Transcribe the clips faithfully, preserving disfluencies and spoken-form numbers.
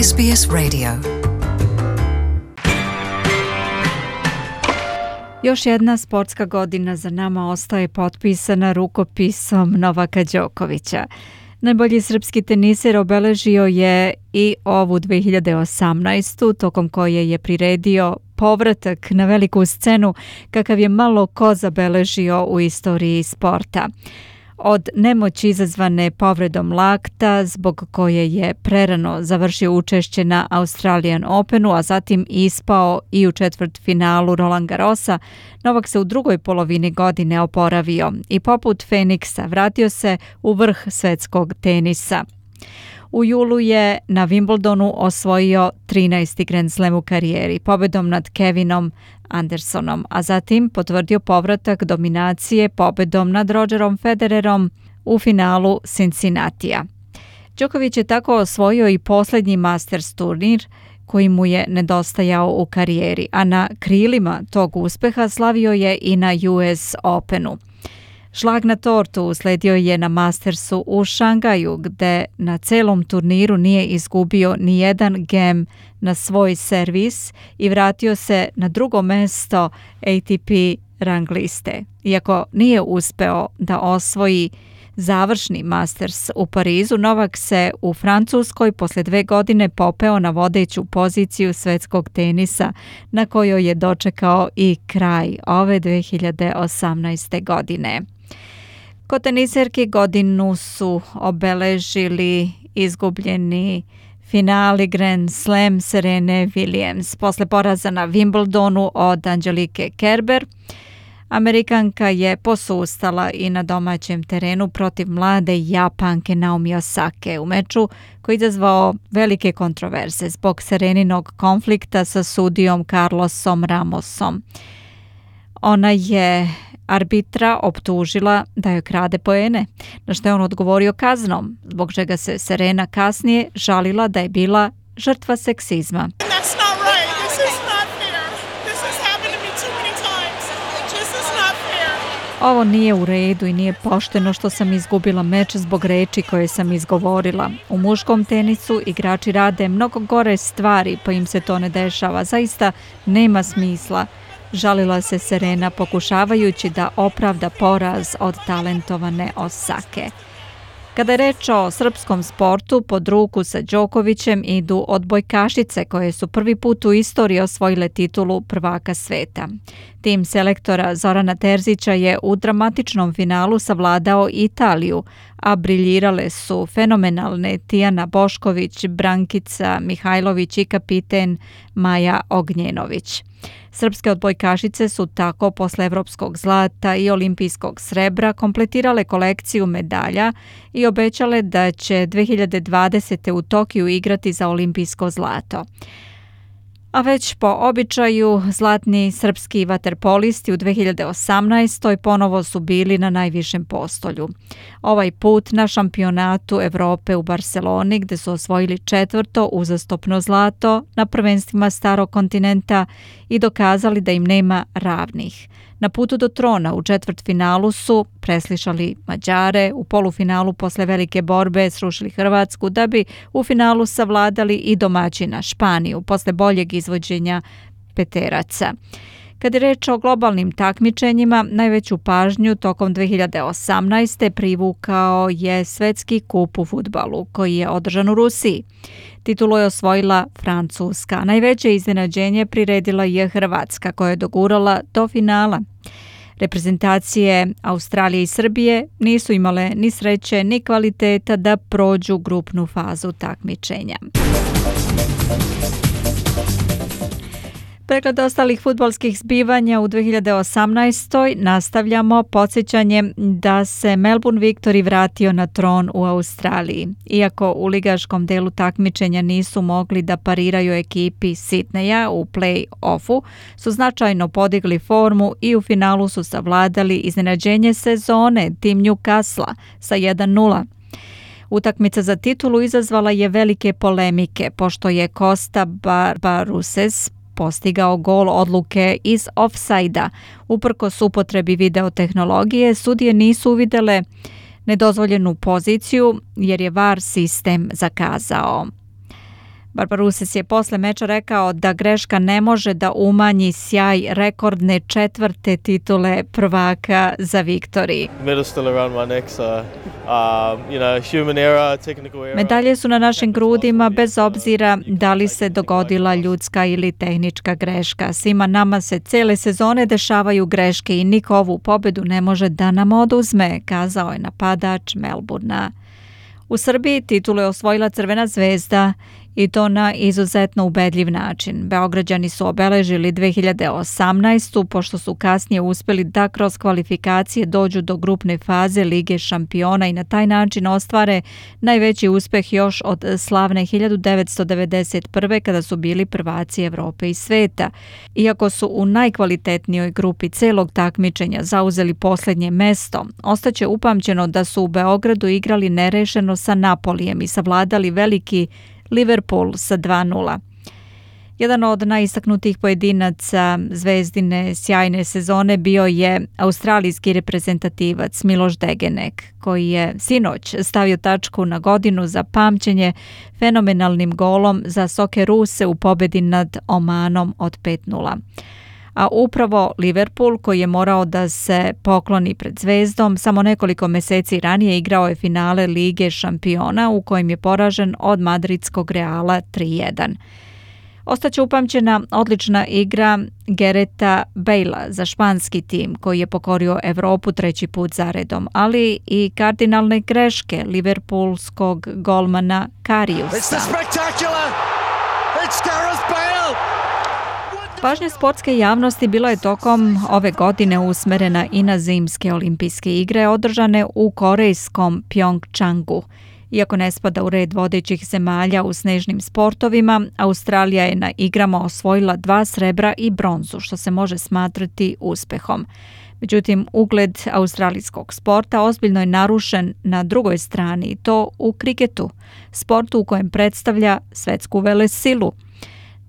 S B S Radio. Još jedna sportska godina za nama ostaje potpisana rukopisom Novaka Đokovića. Najbolji srpski teniser obeležio je i ovu dve hiljade osamnaestu. tokom koje je priredio povratak na veliku scenu kakav je malo ko zabeležio u istoriji sporta. Od nemoći izazvane povredom lakta, zbog koje je prerano završio učešće na Australian Openu, a zatim ispao i u četvrtfinalu Roland Garrosa, Novak se u drugoj polovini godine oporavio i poput Feniksa vratio se u vrh svetskog tenisa. U julu je na Wimbledonu osvojio trinaesti Grand Slam u karijeri pobedom nad Kevinom Andersonom, a zatim potvrdio povratak dominacije pobedom nad Rogerom Federerom u finalu Cincinnatija. Đoković je tako osvojio i posljednji Masters turnir koji mu je nedostajao u karijeri, a na krilima tog uspeha slavio je i na U S Openu. Šlag na tortu usledio je na Mastersu u Šangaju, gde na celom turniru nije izgubio ni jedan gem na svoj servis i vratio se na drugo mesto A T P rang liste. Iako nije uspeo da osvoji završni Masters u Parizu, Novak se u Francuskoj posle dve godine popeo na vodeću poziciju svetskog tenisa, na kojoj je dočekao i kraj ove dve hiljade osamnaeste. godine. Kod teniserki godinu su obeležili izgubljeni finali Grand Slam Serene Williams. Posle poraza na Wimbledonu od Angelique Kerber, Amerikanka je posustala i na domaćem terenu protiv mlade Japanke Naomi Osake u meču koji izazvao velike kontroverze zbog Sereninog konflikta sa sudijom Carlosom Ramosom. Ona je arbitra optužila da joj krade poene, na što je on odgovorio kaznom, zbog čega se Serena kasnije žalila da je bila žrtva seksizma. Ovo nije u redu i nije pošteno što sam izgubila meč zbog reči koje sam izgovorila. U muškom tenisu igrači rade mnogo gore stvari, pa im se to ne dešava. Zaista nema smisla, žalila se Serena pokušavajući da opravda poraz od talentovane Osake. Kada je reč o srpskom sportu, pod ruku sa Đokovićem idu odbojkašice koje su prvi put u istoriji osvojile titulu prvaka sveta. Tim selektora Zorana Terzića je u dramatičnom finalu savladao Italiju, a briljirale su fenomenalne Tijana Bošković, Brankica Mihajlović i kapiten Maja Ognjenović. Srpske odbojkašice su tako posle evropskog zlata i olimpijskog srebra kompletirale kolekciju medalja i obećale da će dve hiljade dvadesete. u Tokiju igrati za olimpijsko zlato. A već po običaju, zlatni srpski vaterpolisti u dve hiljade osamnaestoj. ponovo su bili na najvišem postolju. Ovaj put na šampionatu Evrope u Barseloni, gde su osvojili četvrto uzastopno zlato na prvenstvima starog kontinenta i dokazali da im nema ravnih. Na putu do trona u četvrtfinalu su preslišali Mađare, u polufinalu posle velike borbe srušili Hrvatsku, da bi u finalu savladali i domaćina Španiju posle boljeg izvođenja peteraca. Kad je reč o globalnim takmičenjima, najveću pažnju tokom dve hiljade osamnaeste. privukao je Svetski kup u fudbalu koji je održan u Rusiji. Titulu je osvojila Francuska. Najveće iznenađenje priredila je Hrvatska koja je dogurala do finala. Reprezentacije Australije i Srbije nisu imale ni sreće ni kvaliteta da prođu grupnu fazu takmičenja. Pregled ostalih fudbalskih zbivanja u dve hiljade osamnaestoj. nastavljamo podsjećanjem da se Melbourne Victory vratio na tron u Australiji. Iako u ligaškom delu takmičenja nisu mogli da pariraju ekipi Sydneya u play-offu, su značajno podigli formu i u finalu su savladali iznenađenje sezone tim Newcastle sa jedan nula. Utakmica za titulu izazvala je velike polemike, pošto je Costa Barbarouses postigao gol odluke iz ofsajda. Uprkos upotrebi videotehnologije, sudije nisu uvidele nedozvoljenu poziciju jer je V A R sistem zakazao. Barbarouses je posle meča rekao da greška ne može da umanji sjaj rekordne četvrte titule prvaka za Viktoriji. Medalje su na našim grudima bez obzira da li se dogodila ljudska ili tehnička greška. Svima nama se cele sezone dešavaju greške i niko ovu pobedu ne može da nam oduzme, kazao je napadač Melbournea. U Srbiji titulu je osvojila Crvena zvezda i to na izuzetno ubedljiv način. Beograđani su obeležili dve hiljade osamnaestu pošto su kasnije uspeli da kroz kvalifikacije dođu do grupne faze Lige šampiona i na taj način ostvare najveći uspeh još od slavne hiljadu devetsto devedeset prve kada su bili prvaci Evrope i sveta. Iako su u najkvalitetnijoj grupi celog takmičenja zauzeli posljednje mesto, ostaće upamćeno da su u Beogradu igrali nerešeno sa Napolijem i savladali veliki Liverpool sa dva nula. Jedan od najistaknutijih pojedinaca Zvezdine sjajne sezone bio je australijski reprezentativac Miloš Degenek, koji je sinoć stavio tačku na godinu za pamćenje fenomenalnim golom za Sokeruse u pobedi nad Omanom od pet nula. A upravo Liverpool, koji je morao da se pokloni pred Zvezdom, samo nekoliko meseci ranije igrao je finale Lige šampiona u kojem je poražen od madridskog Reala tri jedan. Ostaće upamćena odlična igra Gareta Bale'a za španski tim koji je pokorio Evropu treći put zaredom, ali i kardinalne greške liverpoolskog golmana Kariusa. Pažnja sportske javnosti bila je tokom ove godine usmerena i na zimske olimpijske igre održane u korejskom Pjongčangu. Iako ne spada u red vodećih zemalja u snežnim sportovima, Australija je na igrama osvojila dva srebra i bronzu, što se može smatrati uspehom. Međutim, ugled australijskog sporta ozbiljno je narušen na drugoj strani, i to u kriketu, sportu u kojem predstavlja svetsku velesilu.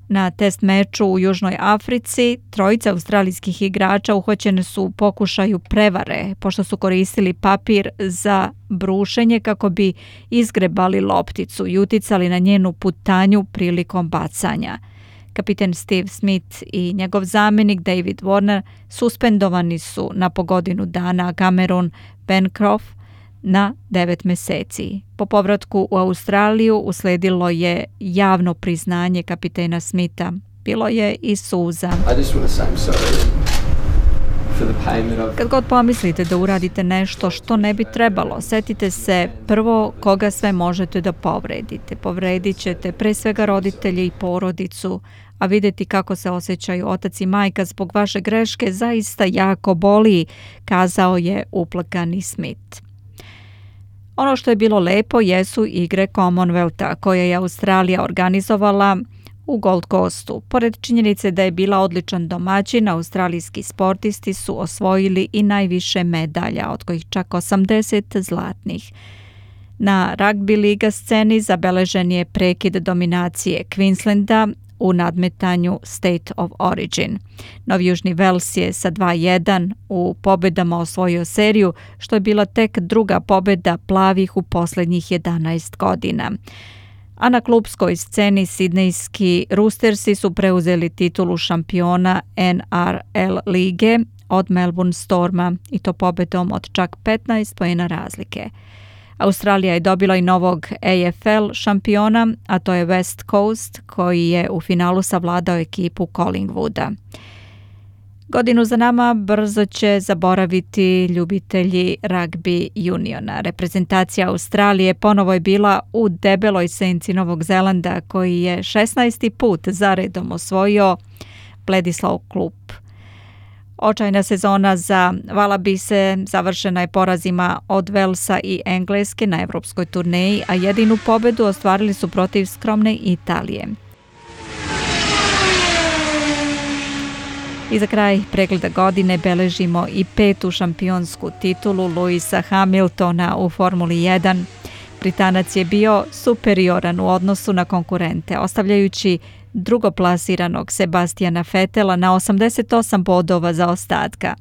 Na test meču u Južnoj Africi trojica australijskih igrača uhvaćene su u pokušaju prevare pošto su koristili papir za brušenje kako bi izgrebali lopticu i uticali na njenu putanju prilikom bacanja. Kapiten Steve Smith i njegov zamjenik David Warner suspendovani su na po godinu dana, a Cameron Bancroft na devet meseci. Po povratku u Australiju usledilo je javno priznanje kapitena Smitha. Bilo je i suza. Kad god pomislite da uradite nešto što ne bi trebalo, setite se prvo koga sve možete da povredite. Povredit ćete pre svega roditelje i porodicu, a vidjeti kako se osjećaju otac i majka zbog vaše greške zaista jako boli, kazao je uplakani Smith. Ono što je bilo lepo jesu igre Commonwealtha koje je Australija organizovala u Gold Coastu. Pored činjenice da je bila odličan domaćin, australijski sportisti su osvojili i najviše medalja, od kojih čak osamdeset zlatnih. Na ragbi liga sceni zabeležen je prekid dominacije Queenslanda u nadmetanju State of Origin. Novi Južni Vels je sa dva jedan u pobedama osvojio seriju, što je bila tek druga pobeda plavih u posljednjih jedanaest godina. A na klupskoj sceni sidnejski Roostersi su preuzeli titulu šampiona N R L lige od Melbourne Storma i to pobedom od čak petnaest poena razlike. Australija je dobila i novog A F L šampiona, a to je West Coast, koji je u finalu savladao ekipu Collingwooda. Godinu za nama brzo će zaboraviti ljubitelji ragbi uniona. Reprezentacija Australije ponovo je bila u debeloj senci Novog Zelanda, koji je šesnaesti put zaredom osvojio Bledisloe klub. Očajna sezona za Valabise završena je porazima od Velsa i Engleske na evropskoj turneji, a jedinu pobedu ostvarili su protiv skromne Italije. I za kraj pregleda godine beležimo i petu šampionsku titulu Lewisa Hamiltona u Formuli jedan. Britanac je bio superioran u odnosu na konkurente, ostavljajući drugoplasiranog Sebastiana Vettela na osamdeset osam bodova za ostatka.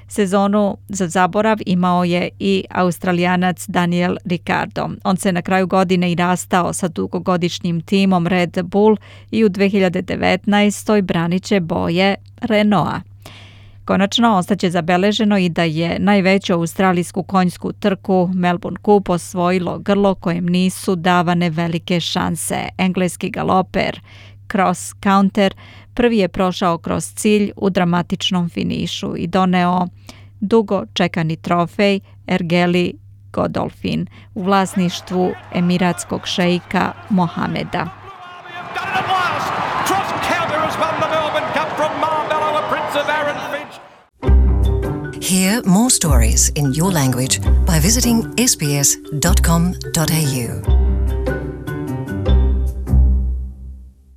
Sezonu za zaborav imao je i Australijanac Daniel Ricciardo. On se na kraju godine i rastao sa dugogodišnjim timom Red Bull i u dve hiljade devetnaestoj branit će boje Renaulta. Konačno, ostaće zabeleženo i da je najveću australijsku konjsku trku Melbourne Cup osvojilo grlo kojem nisu davane velike šanse. Engleski galoper Cross Counter prvi je prošao kroz cilj u dramatičnom finišu i doneo dugo čekani trofej Ergeli Godolphin u vlasništvu emiratskog šeika Mohameda. Hear more stories in your language by visiting s b s dot com dot a u.